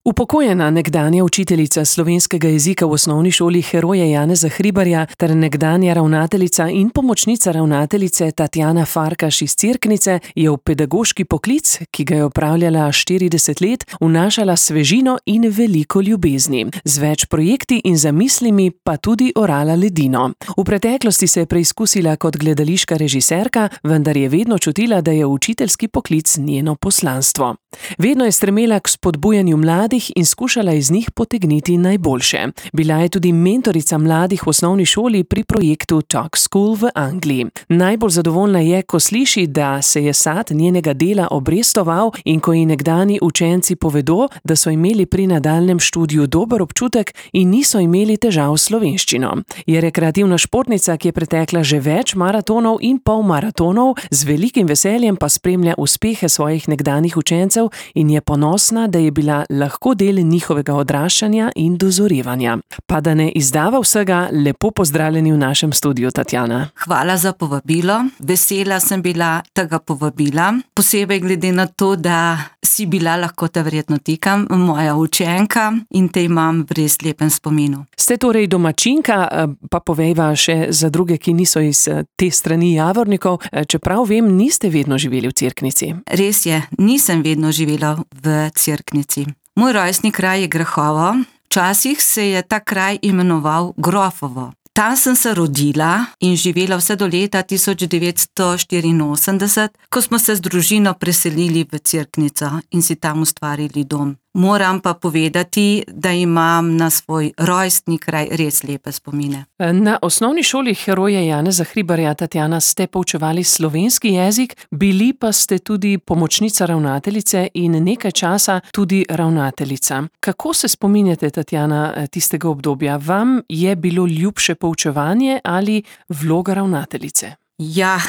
Upokojena nekdanja učiteljica slovenskega jezika v osnovni šoli Heroja Janeza Hribarja ter nekdanja ravnateljica in pomočnica ravnateljice Tatjana Farkaš iz Cerknice je v pedagoški poklic, ki ga je opravljala 40 let, vnašala svežino in veliko ljubezni. Z več projekti in zamislimi pa tudi orala ledino. V preteklosti se je preizkusila kot gledališka režiserka, vendar je vedno čutila, da je učiteljski poklic njeno poslanstvo. Vedno je stremela k spodbujanju mladih in skušala iz njih potegniti najboljše. Bila je tudi mentorica mladih v osnovni šoli pri projektu Talk School v Angliji. Najbolj zadovoljna je, ko sliši, da se je sad njenega dela obrestoval in ko ji nekdani učenci povedo, da so imeli pri nadaljnjem študiju dober občutek in niso imeli težav s slovenščino. Je rekreativna športnica, ki je pretekla že več maratonov in polmaratonov, z velikim veseljem pa spremlja uspehe svojih nekdanjih učencev in je ponosna, da je bila lahko del njihovega odraščanja in dozorevanja. Pa da ne izdava vsega, lepo pozdravljeni v našem studiu, Tatjana. Hvala za povabilo. Vesela sem bila tega povabila, posebej glede na to, da si bila, lahko te verjetno tikam, moja učenka in te imam v res lepem spominu. Ste torej domačinka, pa povejva še za druge, ki niso iz te strani Javornikov, čeprav vem, niste vedno živeli v Cerknici. Res je, nisem vedno živela v Cerknici. Moj rojstni kraj je Grahovo, včasih se je ta kraj imenoval Grofovo. Tam sem se rodila in živela vse do leta 1984, ko smo se z družino preselili v Cerknico in si tam ustvarili dom. Moram pa povedati, da imam na svoj rojstni kraj res lepe spomine. Na osnovni šoli Heroja Janeza Hribarja, Tatjana, ste poučevali slovenski jezik, bili pa ste tudi pomočnica ravnateljice in nekaj časa tudi ravnateljica. Kako se spominjate, Tatjana, tistega obdobja? Vam je bilo ljubše poučevanje ali vloga ravnateljice? Ja,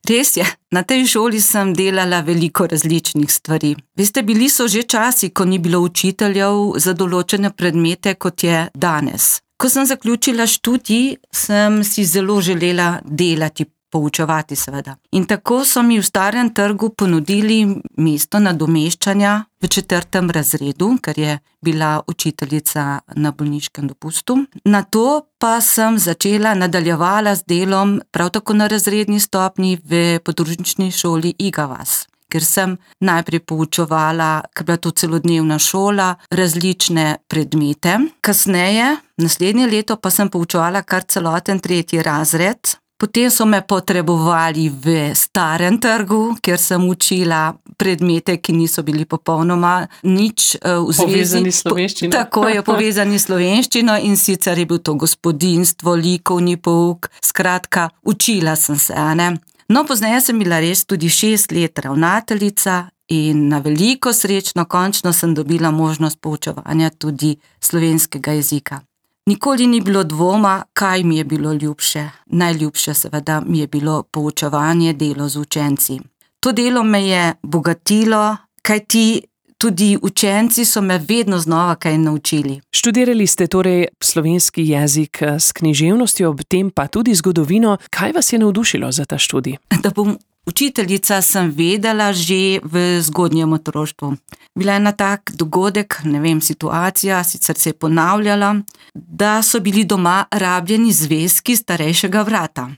res je. Na tej šoli sem delala veliko različnih stvari. Veste, bili so že časi, ko ni bilo učiteljev za določene predmete, kot je danes. Ko sem zaključila študij, sem si zelo želela delati, poučevati seveda. In tako so mi v Starem trgu ponudili mesto nadomeščanja v 4. razredu, ker je bila učiteljica na bolniškem dopustu. Nato pa sem nadaljevala z delom prav tako na razredni stopnji v podružnični šoli Iga vas, ker sem najprej poučevala, ker bila to celodnevna šola, različne predmete. Kasneje, naslednje leto, pa sem poučevala kar celoten 3. razred. Potem so me potrebovali v Starem trgu, kjer sem učila predmete, ki niso bili popolnoma nič v zvezi. Povezani s slovenščino. Tako je, povezani s slovenščino, in sicer je bil to gospodinjstvo, likovni pouk, skratka, učila sem se, ne. No, pozneje sem bila res tudi 6 let ravnateljica in na veliko srečno končno sem dobila možnost poučevanja tudi slovenskega jezika. Nikoli ni bilo dvoma, kaj mi je bilo ljubše. Najljubše seveda mi je bilo poučevanje, delo z učenci. To delo me je bogatilo, kajti tudi učenci so me vedno znova kaj naučili. Študirali ste torej slovenski jezik s književnostjo, ob tem pa tudi zgodovino. Kaj vas je navdušilo za ta študij? Da bom učiteljica, sem vedela že v zgodnjem otroštvu. Bila je ena tak dogodek, ne vem, situacija, sicer se je ponavljala, da so bili doma rabljeni zvezki starejšega vrata.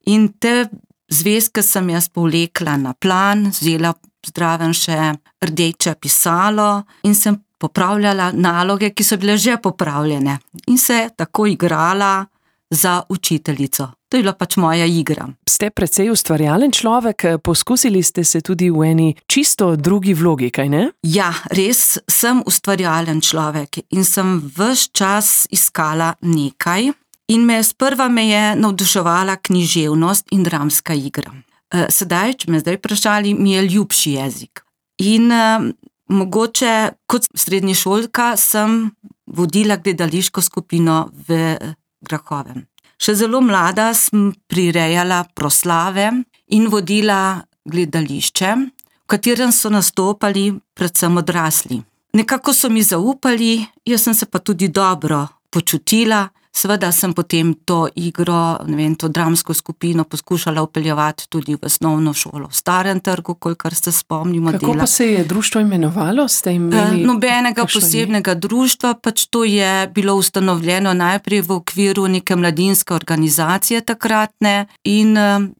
In te zvezke sem jaz povlekla na plan, vzela zraven še rdeče pisalo in sem popravljala naloge, ki so bile že popravljene. In se tako igrala za učiteljico. To je bila pač moja igra. Ste precej ustvarjalen človek, poskusili ste se tudi v eni čisto drugi vlogi, kaj ne? Ja, res sem ustvarjalen človek in sem ves čas iskala nekaj in sprva me je navduševala književnost in dramska igra. Sedaj, če me zdaj vprašali, mi je ljubši jezik. In mogoče kot srednješolka sem vodila gledališko skupino v Grahovem. Še zelo mlada sem prirejala proslave in vodila gledališče, v katerem so nastopali predvsem odrasli. Nekako so mi zaupali, jaz sem se pa tudi dobro počutila, Seveda sem potem to igro, to dramsko skupino poskušala vpeljevati tudi v osnovno šolo v Starem Trgu, kolikor se spomnimo. Kako pa se je društvo imenovalo? Ste imeli nobenega posebnega društva, pač to je bilo ustanovljeno najprej v okviru neke mladinske organizacije takratne in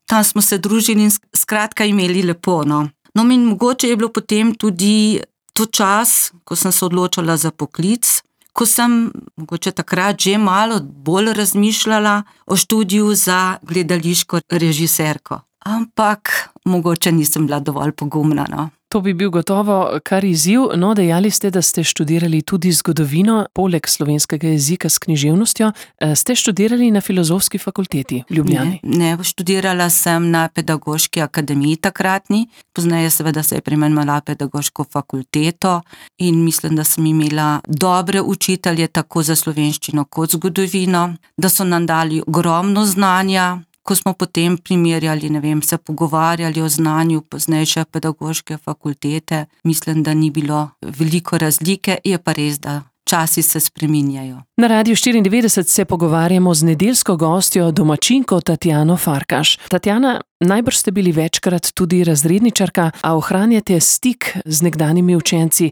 tam smo se družili in skratka imeli lepo. No, in mogoče je bilo potem tudi to čas, ko sem se odločila za poklic, ko sem mogoče takrat že malo bolj razmišljala o študiju za gledališko režiserko. Ampak mogoče nisem bila dovolj pogumna. No. To bi bil gotovo kar izziv. No, dejali ste, da ste študirali tudi zgodovino, poleg slovenskega jezika s književnostjo. Ste študirali na Filozofski fakulteti v Ljubljani? Ne, študirala sem na Pedagoški akademiji takratni, pozneje seveda se je preimenovala Pedagoško fakulteto in mislim, da sem imela dobre učitelje tako za slovenščino kot zgodovino, da so nam dali ogromno znanja. Ko smo potem primerjali, se pogovarjali o znanju poznejše pedagoške fakultete, mislim, da ni bilo veliko razlike, je pa res, da časi se spreminjajo. Na Radiu 94 se pogovarjamo z nedeljsko gostjo, domačinko Tatjano Farkaš. Tatjana, najbrž ste bili večkrat tudi razredničarka, a ohranjate stik z nekdanjimi učenci,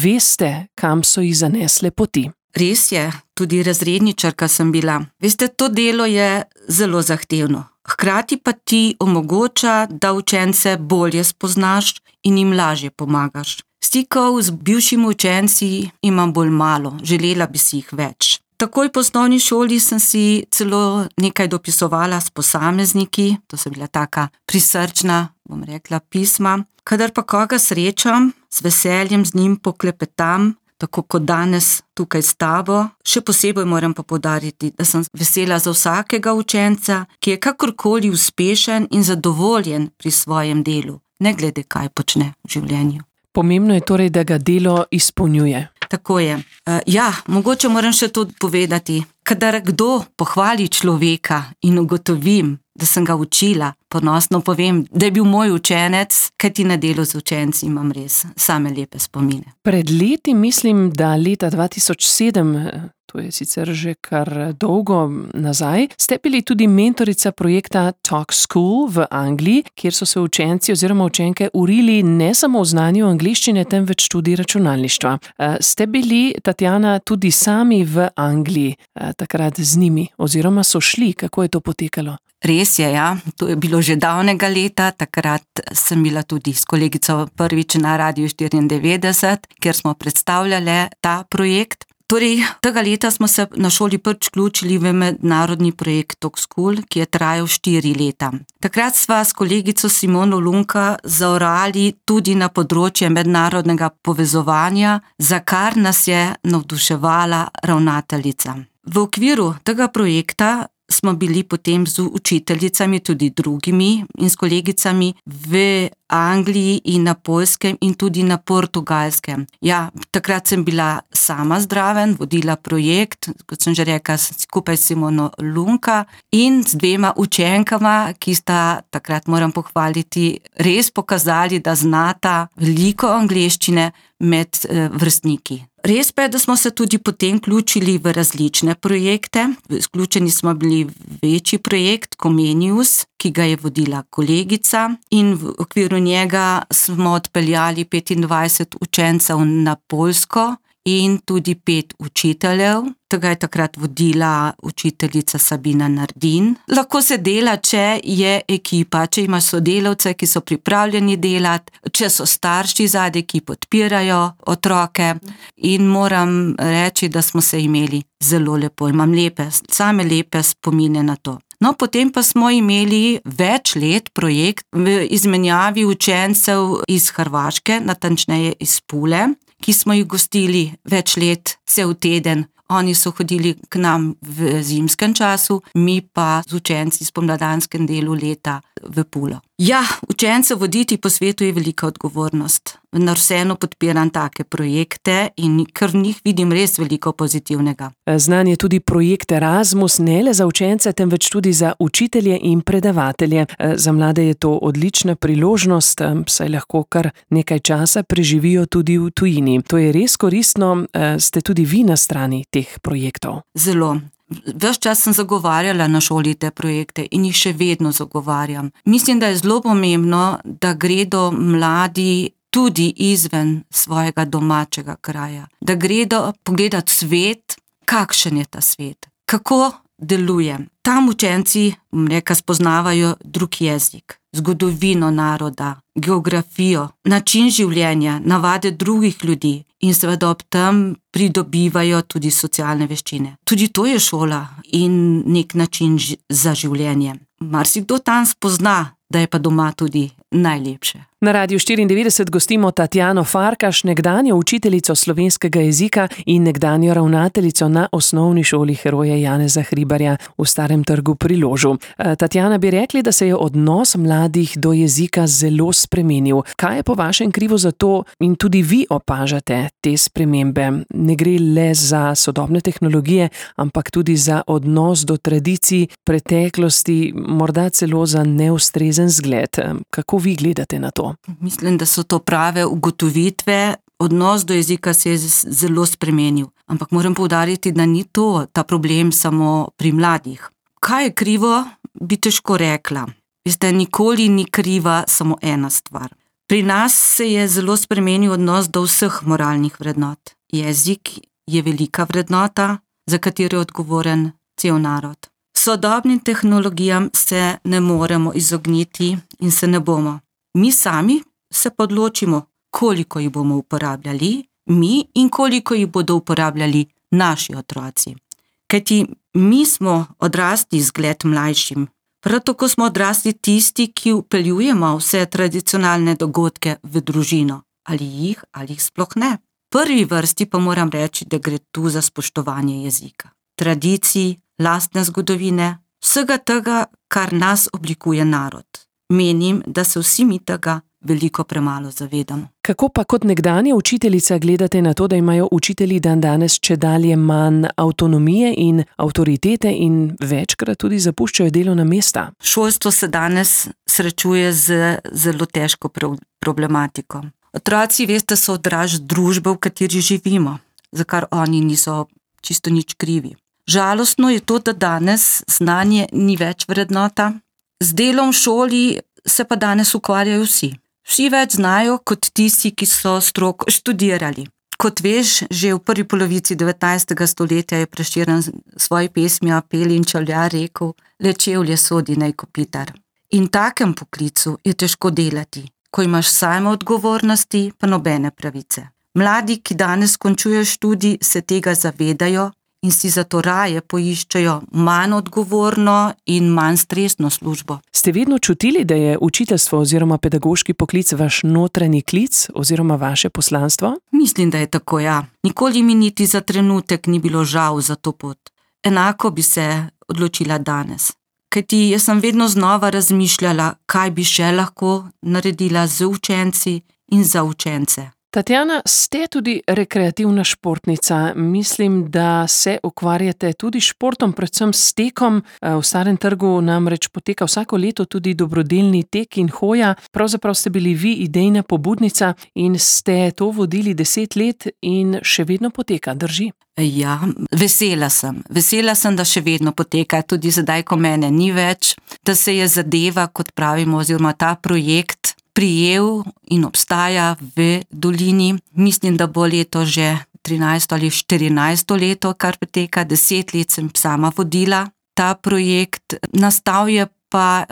veste, kam so jih zanesle poti. Res je, tudi razredničarka sem bila. Veste, to delo je zelo zahtevno. Hkrati pa ti omogoča, da učence bolje spoznaš in jim lažje pomagaš. Stikov z bivšimi učenci imam bolj malo, želela bi si jih več. Takoj po osnovni šoli sem si celo nekaj dopisovala s posamezniki, to so bila taka prisrčna, pisma. Kadar pa koga srečam, z veseljem z njim poklepetam, tako kot danes tukaj s tabo. Še posebej moram pa poudariti, da sem vesela za vsakega učenca, ki je kakorkoli uspešen in zadovoljen pri svojem delu, ne glede kaj počne v življenju. Pomembno je torej, da ga delo izpolnjuje. Tako je. Mogoče moram še to povedati. Kadar kdo pohvali človeka in ugotovim, da sem ga učila, ponosno povem, da je bil moj učenec, kajti na delu z učenci imam res same lepe spomine. Pred leti, mislim, da leta 2007, to je sicer že kar dolgo nazaj, ste bili tudi mentorica projekta Talk School v Angliji, kjer so se učenci oziroma učenke urili ne samo v znanju angleščine, temveč tudi računalništva. Ste bili, Tatjana, tudi sami v Angliji takrat z njimi oziroma so šli, kako je to potekalo? Res je, ja. To je bilo že davnega leta, takrat sem bila tudi s kolegico prvič na Radiu 94, kjer smo predstavljali ta projekt. Torej, tega leta smo se na šoli prvič vključili v mednarodni projekt Talk School, ki je trajal 4 leta. Takrat sva s kolegico Simono Lunka zaorali tudi na področje mednarodnega povezovanja, za kar nas je navduševala ravnateljica. V okviru tega projekta smo bili potem z učiteljicami, tudi drugimi in s kolegicami v Angliji in na Poljskem in tudi na Portugalskem. Ja, takrat sem bila sama zraven, vodila projekt, kot sem že rekla, skupaj s Simono Lunka in z 2 učenkama, ki sta, takrat moram pohvaliti, res pokazali, da znata veliko angleščine med vrstniki. Res pa je, da smo se tudi potem vključili v različne projekte. Vključeni smo bili v večji projekt Comenius, ki ga je vodila kolegica in v okviru njega smo odpeljali 25 učencev na Poljsko in tudi 5 učiteljev. Tega je takrat vodila učiteljica Sabina Nardin. Lahko se dela, če je ekipa, če imaš sodelavce, ki so pripravljeni delati, če so starši zadaj, ki podpirajo otroke in moram reči, da smo se imeli zelo lepo. Imam same lepe spomine na to. No, potem pa smo imeli več let projekt v izmenjavi učencev iz Hrvaške, natančneje iz Pule, ki smo jih gostili več let, cel teden. Oni so hodili k nam v zimskem času, mi pa z učenci v spomladanskem delu leta v Pulo. Ja, učence voditi po svetu je velika odgovornost. Vendar vseeno podpiram take projekte in ker v njih vidim res veliko pozitivnega. Znan je tudi projekt Erasmus, ne le za učence, temveč tudi za učitelje in predavatelje. Za mlade je to odlična priložnost, saj lahko kar nekaj časa preživijo tudi v tujini. To je res koristno, ste tudi vi na strani teh projektov. Zelo. Ves čas sem zagovarjala na šoli te projekte in jih še vedno zagovarjam. Mislim, da je zelo pomembno, da gredo mladi tudi izven svojega domačega kraja. Da gredo pogledati svet, kakšen je ta svet, kako deluje. Tam učenci, spoznavajo drug jezik, zgodovino naroda, geografijo, način življenja, navade drugih ljudi in seveda ob tem pridobivajo tudi socialne veščine. Tudi to je šola in nek način za življenje. Marsikdo tam spozna, da je pa doma tudi najlepše. Na Radiu 94 gostimo Tatjano Farkaš, nekdanjo učiteljico slovenskega jezika in nekdanjo ravnateljico na osnovni šoli Heroja Janeza Hribarja v Starem trgu pri Ložu. Tatjana, bi rekli, da se je odnos mladih do jezika zelo spremenil. Kaj je po vašem krivo za to in tudi vi opažate te spremembe? Ne gre le za sodobne tehnologije, ampak tudi za odnos do tradicij, preteklosti, morda celo za neustrezen zgled. Kako vi gledate na to? Mislim, da so to prave ugotovitve. Odnos do jezika se je zelo spremenil. Ampak moram poudariti, da ni ta problem samo pri mladih. Kaj je krivo, bi težko rekla. Veste, nikoli ni kriva samo ena stvar. Pri nas se je zelo spremenil odnos do vseh moralnih vrednot. Jezik je velika vrednota, za katero je odgovoren cel narod. Sodobnim tehnologijam se ne moremo izogniti in se ne bomo. Mi sami se odločimo, koliko jih bomo uporabljali, mi in koliko jih bodo uporabljali naši otroci. Kajti mi smo odrasli zgled mlajšim. Prav tako smo odrasli tisti, ki vpeljujemo vse tradicionalne dogodke v družino. Ali jih sploh ne. V prvi vrsti pa moram reči, da gre tu za spoštovanje jezika, tradicij, lastne zgodovine, vsega tega, kar nas oblikuje narod. Menim, da se vsi mi tega veliko premalo zavedamo. Kako pa kot nekdanja učiteljica gledate na to, da imajo učitelji dandanes čedalje manj avtonomije in avtoritete in večkrat tudi zapuščajo delovna mesta? Šolstvo se danes srečuje z zelo težko problematiko. Otroci, veste, so odraz družbe, v kateri živimo, za kar oni niso čisto nič krivi. Žalostno je to, da danes znanje ni več vrednota. Z delom v šoli se pa danes ukvarjajo vsi. Vsi več znajo kot tisti, ki so stroko študirali. Kot veš, že v prvi polovici 19. stoletja je Prešeren svoji pesmi Apel in čevljar rekel: le čevlje sodi naj kopitar. In takem poklicu je težko delati, ko imaš same odgovornosti, pa nobene pravice. Mladi, ki danes končujejo študij, se tega zavedajo in si zato raje poiščejo manj odgovorno in manj stresno službo. Ste vedno čutili, da je učiteljstvo oziroma pedagoški poklic vaš notranji klic oziroma vaše poslanstvo? Mislim, da je tako, ja. Nikoli mi niti za trenutek ni bilo žal za to pot. Enako bi se odločila danes. Kajti jaz sem vedno znova razmišljala, kaj bi še lahko naredila z učenci in za učence. Tatjana, ste tudi rekreativna športnica. Mislim, da se ukvarjate tudi športom, predvsem s tekom. V Starem trgu namreč poteka vsako leto tudi dobrodelni tek in hoja. Pravzaprav ste bili vi idejna pobudnica in ste to vodili 10 let in še vedno poteka, drži? Ja, vesela sem. Vesela sem, da še vedno poteka, tudi zdaj, ko mene ni več, da se je zadeva, kot pravimo, oziroma ta projekt prijel in obstaja v dolini. Mislim, da bo leto že 13 ali 14 leto, kar poteka. 10 let sem sama vodila ta projekt. Nastal je pa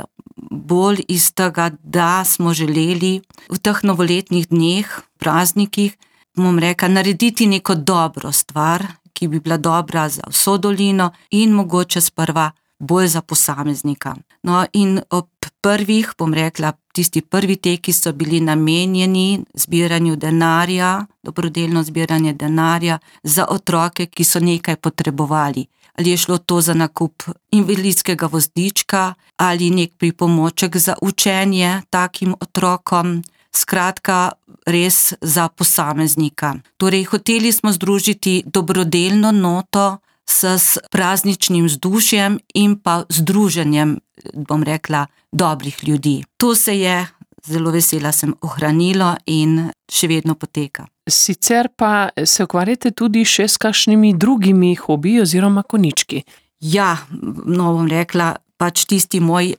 bolj iz tega, da smo želeli v teh novoletnih dneh, praznikih, bom rekla, narediti neko dobro stvar, ki bi bila dobra za vso dolino in mogoče sprva bolj za posameznika. No, in ob prvih, bom rekla, tisti prvi teki so bili namenjeni zbiranju denarja, dobrodelno zbiranje denarja za otroke, ki so nekaj potrebovali. Ali je šlo to za nakup invalidskega vozička ali nek pripomoček za učenje takim otrokom, skratka res za posameznika. Torej, hoteli smo združiti dobrodelno noto s prazničnim vzdušjem in pa združenjem, bom rekla, dobrih ljudi. To se je, zelo vesela sem, ohranilo in še vedno poteka. Sicer pa se ukvarjate tudi še s kakšnimi drugimi hobiji oziroma konjički. Ja, no, bom rekla, pač tisti moj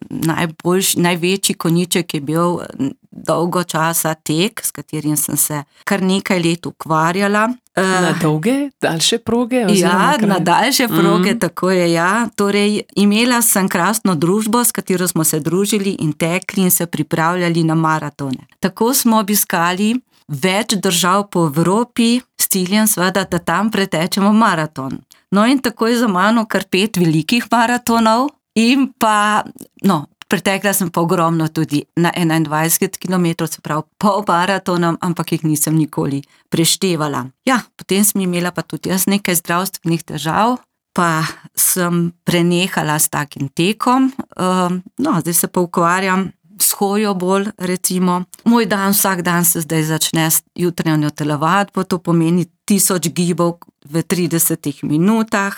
največji konjiček je bil dolgo časa tek, s katerim sem se kar nekaj let ukvarjala. Na dolge, daljše proge? Ja, na daljše proge, tako je, ja. Torej, imela sem krasno družbo, s katero smo se družili in tekli in se pripravljali na maratone. Tako smo obiskali več držav po Evropi, s ciljem seveda, da tam pretečemo maraton. No in tako je za mano kar 5 velikih maratonov in pa, pretekla sem pa ogromno tudi na 21 km, se pravi pol maratonom, ampak jih nisem nikoli preštevala. Ja, potem sem imela pa tudi jaz nekaj zdravstvenih težav, pa sem prenehala s takim tekom. Zdaj se pa ukvarjam s hojo bolj, recimo. Moj dan, vsak dan se zdaj začne s jutranjo telovadbo, to pomeni 1000 gibov v 30 minutah.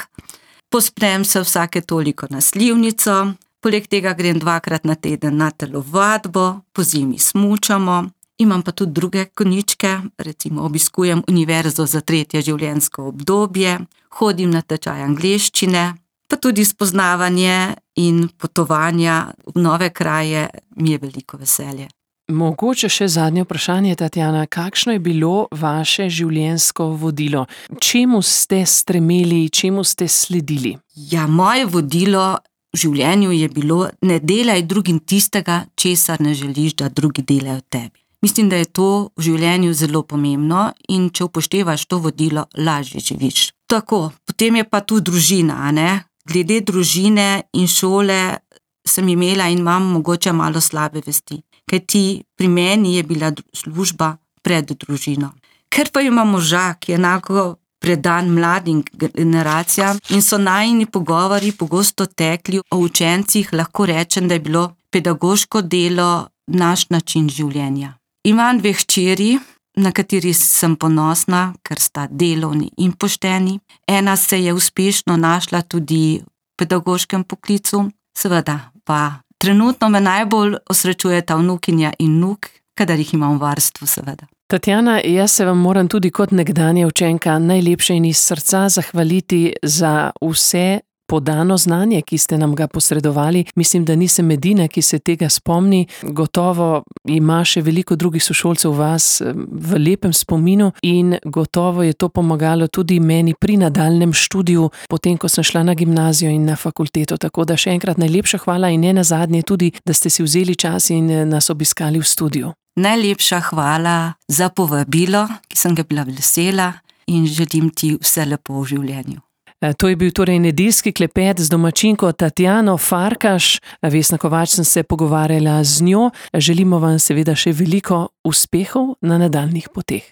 Pospnem se vsake toliko na slivnico, poleg tega grem 2-krat na teden na telovadbo, pozimi smučamo. Imam pa tudi druge konjičke, recimo obiskujem univerzo za 3. življenjsko obdobje, hodim na tečaj angleščine, pa tudi spoznavanje in potovanja v nove kraje mi je veliko veselje. Mogoče še zadnje vprašanje, Tatjana, kakšno je bilo vaše življenjsko vodilo? Čemu ste stremeli, čemu ste sledili? Ja, moje vodilo v življenju je bilo: ne delaj drugim tistega, česar ne želiš, da drugi delajo tebi. Mislim, da je to v življenju zelo pomembno in če upoštevaš to vodilo, lažje živiš. Tako, potem je pa tu družina, ne? Glede družine in šole sem imela in imam mogoče malo slabe vesti, kajti pri meni je bila služba pred družino. Ker pa imam moža, ki je enako predan mladim generacijam in so najini pogovori pogosto tekli o učencih, lahko rečem, da je bilo pedagoško delo naš način življenja. Imam 2 hčeri, na kateri sem ponosna, ker sta delovni in pošteni. Ena se je uspešno našla tudi v pedagoškem poklicu, seveda pa trenutno me najbolj osrečujeta vnukinja in vnuk, kadar jih imam v varstvu, seveda. Tatjana, jaz se vam moram tudi kot nekdanja učenka najlepše in iz srca zahvaliti za vse podano znanje, ki ste nam ga posredovali. Mislim, da nisem edina, ki se tega spomni. Gotovo ima še veliko drugih sošolcev vas v lepem spominu in gotovo je to pomagalo tudi meni pri nadaljnjem študiju, potem ko sem šla na gimnazijo in na fakulteto. Tako da še enkrat najlepša hvala in ne nazadnje tudi, da ste si vzeli čas in nas obiskali v studiu. Najlepša hvala za povabilo, ki sem ga bila vesela, in želim ti vse lepo v življenju. To je bil torej nedeljski klepet z domačinko Tatjano Farkaš. Vesna Kovač sem se pogovarjala z njo. Želimo vam seveda še veliko uspehov na nadaljnjih poteh.